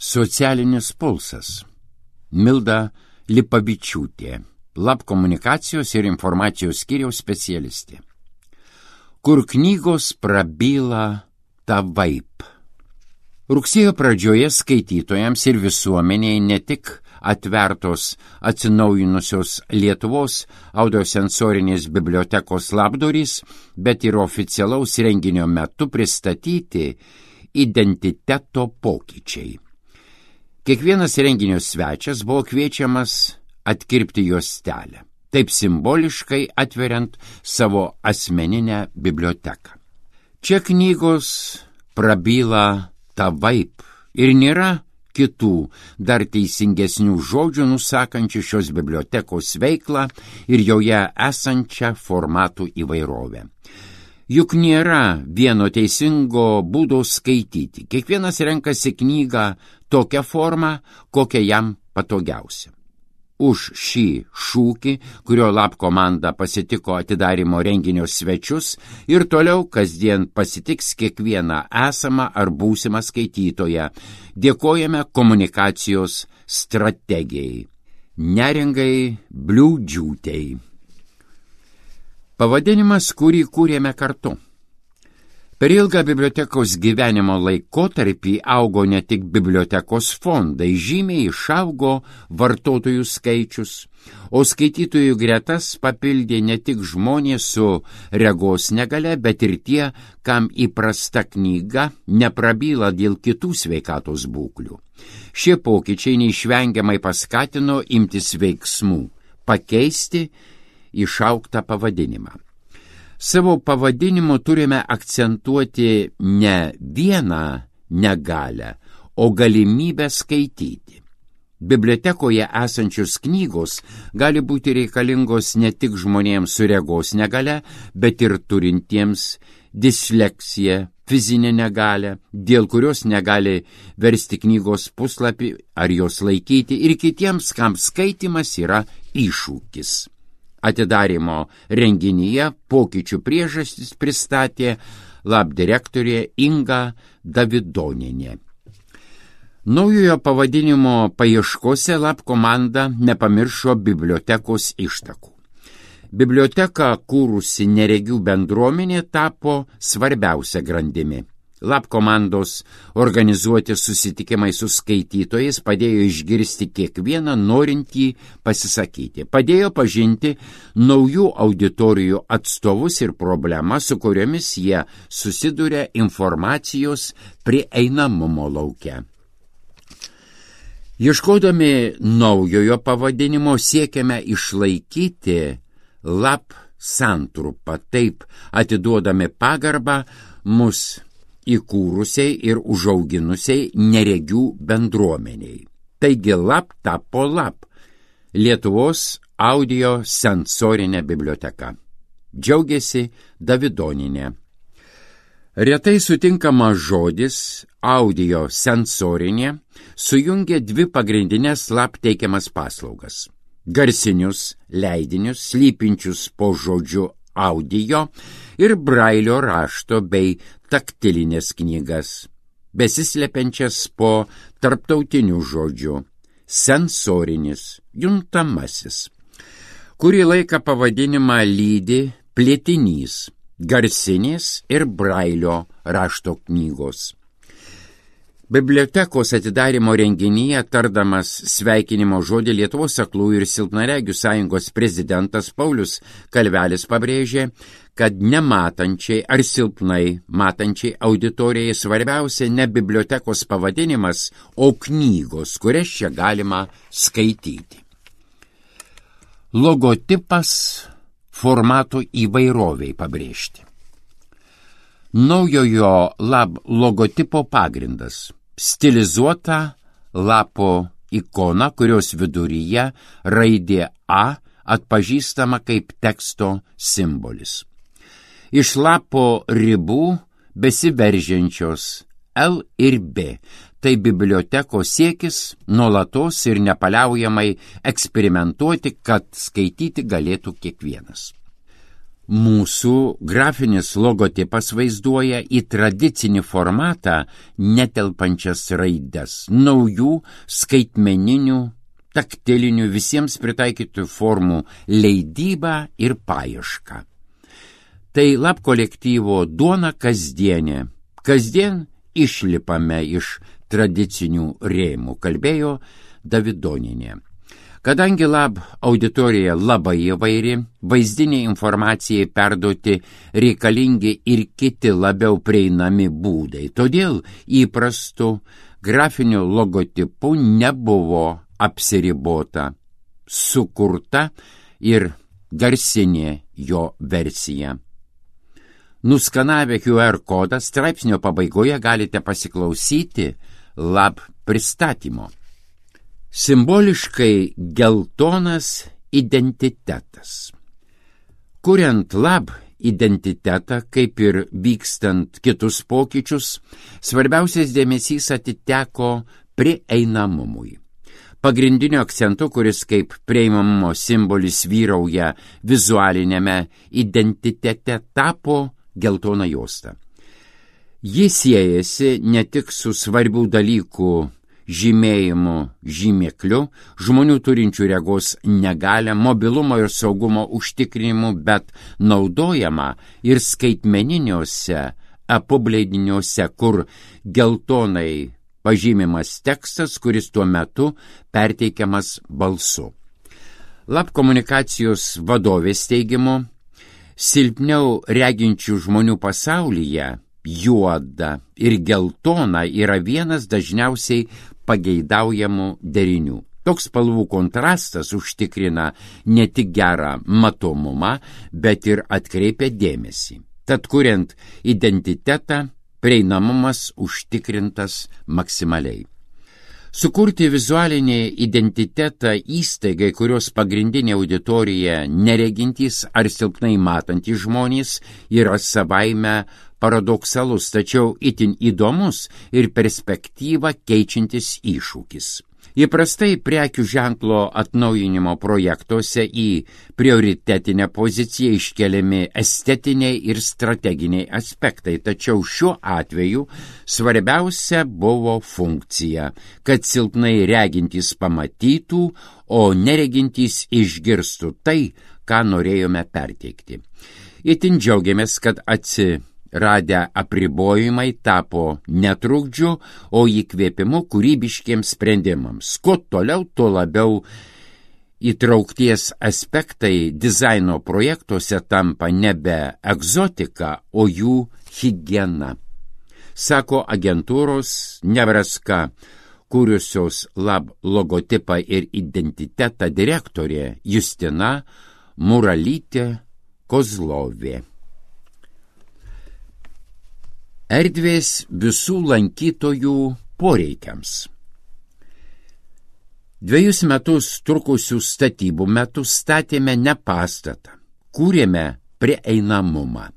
Socialinis pulsas. Milda Lipavičiūtė, Lab komunikacijos ir informacijos skyriaus specialistė. Kur knygos prabyla tavaip. Rugsėjo pradžioje skaitytojams ir visuomeniai ne tik atvertos atsinaujinusios Lietuvos audiosensorinės bibliotekos labdurys, bet ir oficialaus renginio metu pristatyti identiteto pokyčiai. Kiekvienas renginio svečias buvo kviečiamas atkirpti juostelę, taip simboliškai atveriant savo asmeninę biblioteką. Čia knygos prabyla tavaip ir nėra kitų dar teisingesnių žodžių nusakančių šios bibliotekos veiklą ir joje esančią formatų įvairovę. Juk nėra vieno teisingo būdo skaityti. Kiekvienas renkasi knygą tokią formą, kokią jam patogiausia. Už šį šūkį, kurio Lab komanda pasitiko atidarymo renginio svečius ir toliau kasdien pasitiks kiekvieną esamą ar būsimą skaitytoją, dėkojame komunikacijos strategijai Neringai Bliūdžiūtei. Pavadinimas, kurį kūrėme kartu. Per ilgą bibliotekos gyvenimo laikotarpį augo ne tik bibliotekos fondai, žymiai išaugo vartotojų skaičius, o skaitytojų gretas papildė ne tik žmonės su regos negalia, bet ir tie, kam įprasta knyga neprabyla dėl kitų sveikatos būklių. Šie pokyčiai neišvengiamai paskatino imtis veiksmų, pakeisti išauktą pavadinimą. Savo pavadinimu turime akcentuoti ne vieną negalią, o galimybę skaityti. Bibliotekoje esančios knygos gali būti reikalingos ne tik žmonėms su regos negalia, bet ir turintiems disleksiją, fizinę negalią, dėl kurios negali versti knygos puslapį ar jos laikyti, ir kitiems, kam skaitymas yra iššūkis. Atidarymo renginyje pokyčių priežastis pristatė Lab direktorė Inga Davidonienė. Naujojo pavadinimo paieškose Lab komanda nepamiršo bibliotekos ištakų. Biblioteką kūrusi neregių bendruomenė tapo svarbiausia grandimi. Lab komandos organizuoti susitikimai su skaitytojais padėjo išgirsti kiekvieną norintį pasisakyti, padėjo pažinti naujų auditorijų atstovus ir problemas, su kuriomis jie susiduria informacijos prieinamumo lauke. Ieškodami naujojo pavadinimo siekiame išlaikyti Lab santrupą, taip atiduodami pagarbą mus įkūrusiai ir užauginusiai neregių bendruomeniai. Taigi Lab tapo Lab, Lietuvos audio sensorinė biblioteka. Džiaugiasi Davidonienė. Retai sutinkamas žodis audio sensorinė sujungia dvi pagrindinės Lab teikiamas paslaugas. Garsinius leidinius, slypinčius po žodžiu audio ir brailio rašto bei taktilinės knygas, besislepiančias po tarptautinių žodžių, sensorinis, juntamasis. Kurį laiką pavadinimą lydi plėtinys, garsinės ir brailio rašto knygos. Bibliotekos atidarymo renginyje tardamas sveikinimo žodį Lietuvos aklųjų ir silpnaregių sąjungos prezidentas Paulius Kalvelis pabrėžė, kad nematančiai ar silpnai matančiai auditorijai svarbiausia ne bibliotekos pavadinimas, o knygos, kurias čia galima skaityti. Logotipas formato įvairoviai pabrėžti. Naujojo Lab logotipo pagrindas – stilizuota lapo ikona, kurios viduryje raidė A atpažįstama kaip teksto simbolis. Iš lapo ribų besiveržiančios L ir B. Tai bibliotekos siekis nuolatos ir nepaliaujamai eksperimentuoti, kad skaityti galėtų kiekvienas. Mūsų grafinis logotipas vaizduoja į tradicinį formatą netelpančias raides, naujų skaitmeninių, taktilinių, visiems pritaikytų formų leidybą ir paiešką. Tai Lab kolektyvo duona kasdienė. Kasdien išlipame iš tradicinių rėmų, kalbėjo Davidonienė. Kadangi Lab auditorija labai įvairi, vaizdiniai informacijai perduoti reikalingi ir kiti labiau prieinami būdai. Todėl įprastų grafinių logotipų nebuvo apsiribota, sukurta ir garsinė jo versija. Nuskanavę QR kodą straipsnio pabaigoje galite pasiklausyti Lab pristatymo. Simboliškai geltonas identitetas. Kuriant Lab identitetą, kaip ir vykstant kitus pokyčius, svarbiausias dėmesys atiteko prieinamumui. Pagrindiniu akcentu, kuris kaip prieinamumo simbolis vyrauja vizualinėme identitete, tapo geltona juosta. Ji siejasi ne tik su svarbių dalykų žymėjimu žymekliu, žmonių turinčių regos negalią, mobilumo ir saugumo užtikrinimu, bet naudojama ir skaitmeniniuose apobleidiniuose, kur geltonai pažymimas tekstas, kuris tuo metu perteikiamas balsu. Lab komunikacijos vadovės teigimu, silpniau reginčių žmonių pasaulyje juoda ir geltona yra vienas dažniausiai pageidaujamų derinių. Toks spalvų kontrastas užtikrina ne tik gerą matomumą, bet ir atkreipia dėmesį. Tad kuriant identitetą, prieinamumas užtikrintas maksimaliai. Sukurti vizualinį identitetą įstaigai, kurios pagrindinė auditorija neregintys ar silpnai matantys žmonės, yra savaime paradoksalus, tačiau itin įdomus ir perspektyvą keičiantis iššūkis. Įprastai prekių ženklo atnaujinimo projektuose į prioritetinę poziciją iškeliami estetiniai ir strateginiai aspektai, tačiau šiuo atveju svarbiausia buvo funkcija, kad silpnai regintys pamatytų, o neregintys išgirstų tai, ką norėjome perteikti. Itin džiaugiamės, kad radę apribojimai tapo netrukdžiu, o įkvėpimu kūrybiškiems sprendimams. Kuo toliau, tuo labiau įtraukties aspektai dizaino projektuose tampa nebe egzotika, o jų higiena. Sako agentūros Nevraska kūrusios Lab logotipą ir identitetą direktorė Justina Muralytė-Kozlovė. Erdvės visų lankytojų poreikiams. 2 metus trukusių statybų metu statėme ne pastatą, kūrėme prieinamumą.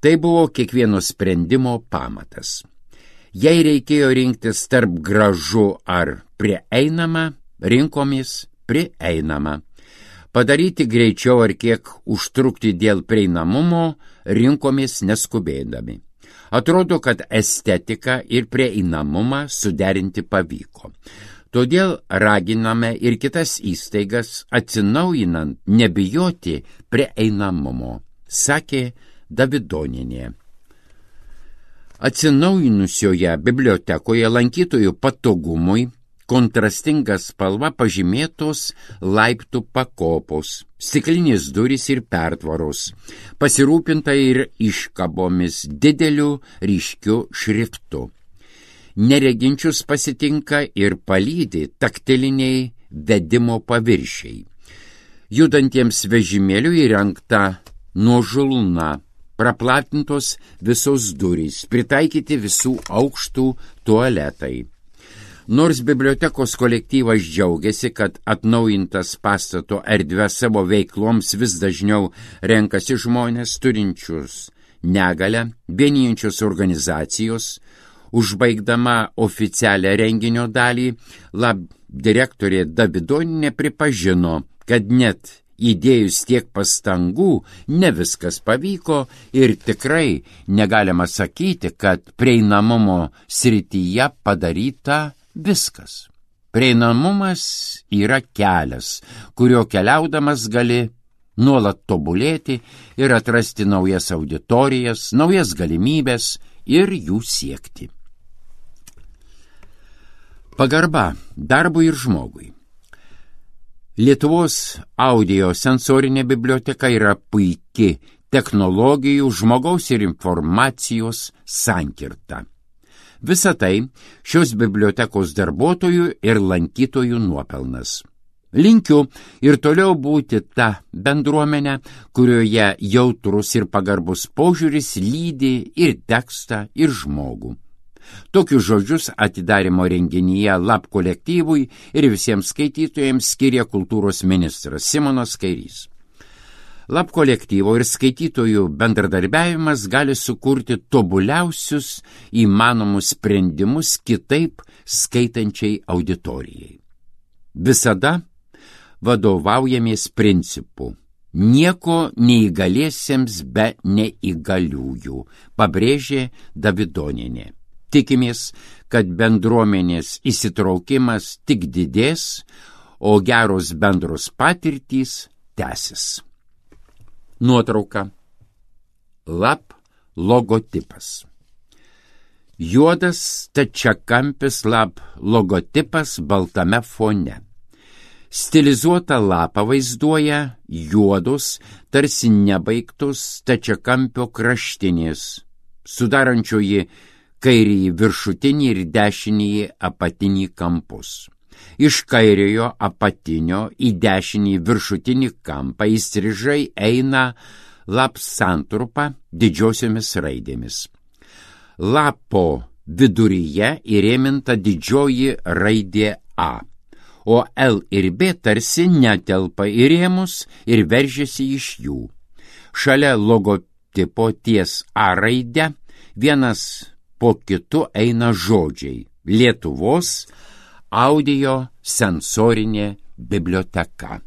Tai buvo kiekvieno sprendimo pamatas. Jei reikėjo rinktis tarp gražu ar prieinama, rinkomės prieinamą. Padaryti greičiau ar kiek užtrukti dėl prieinamumo, rinkomės neskubėdami. Atrodo, kad estetiką ir prieinamumą suderinti pavyko. Todėl raginame ir kitas įstaigas atsinaujinant nebijoti prieinamumo, sakė Davidonienė. Atsinaujinusioje bibliotekoje lankytojų patogumui kontrastinga spalva pažymėtos laiptų pakopos, stiklinės durys ir pertvaros, pasirūpinta ir iškabomis dideliu ryškiu šriftu. Nereginčius pasitinka ir palydi taktiliniai vedimo paviršiai. Judantiems vežimėlių įrengta nuožulna, praplatintos visos durys, pritaikyti visų aukštų tualetai. Nors bibliotekos kolektyvas džiaugiasi, kad atnaujintas pastato erdvę savo veikloms vis dažniau renkasi žmonės turinčius negalią, vienijančios organizacijos, užbaigdama oficialią renginio dalį, Lab direktorė Davidonienė pripažino, kad net įdėjus tiek pastangų, ne viskas pavyko ir tikrai negalima sakyti, kad prieinamumo srityje padaryta viskas. Prieinamumas yra kelias, kurio keliaudamas gali nuolat tobulėti ir atrasti naujas auditorijas, naujas galimybės ir jų siekti. Pagarba darbui ir žmogui. Lietuvos audio sensorinė biblioteka yra puiki technologijų, žmogaus ir informacijos sankirta. Visa tai šios bibliotekos darbuotojų ir lankytojų nuopelnas. Linkiu ir toliau būti ta bendruomenė, kurioje jautrus ir pagarbus požiūris lydi ir tekstą, ir žmogų. Tokius žodžius atidarymo renginyje LAP kolektyvui ir visiems skaitytojams skiria kultūros ministras Simonas Kairys. LAP kolektyvo ir skaitytojų bendradarbiavimas gali sukurti tobuliausius įmanomus sprendimus kitaip skaitančiai auditorijai. Visada vadovaujamės principu: nieko neįgaliesiems be neįgaliųjų, pabrėžė Davidonienė. Tikimės, kad bendruomenės įsitraukimas tik didės, o geros bendros patirtys tęsis. Nuotrauka. LAP logotipas. Juodas stačiakampis LAP logotipas baltame fone. Stilizuota lapą vaizduoja juodos, tarsi nebaigtos stačiakampio kraštinės, sudarančioji kairįjį viršutinį ir dešinįjį apatinį kampus. Iš kairiojo apatinio į dešinį viršutinį kampą įstrižai eina LAP santrupa didžiosiomis raidėmis. Lapo viduryje įrėminta didžioji raidė A, o L ir B tarsi netelpa į rėmus ir veržiasi iš jų. Šalia logotipo ties A raidę vienas po kitu eina žodžiai: Lietuvos audio sensorinė biblioteka.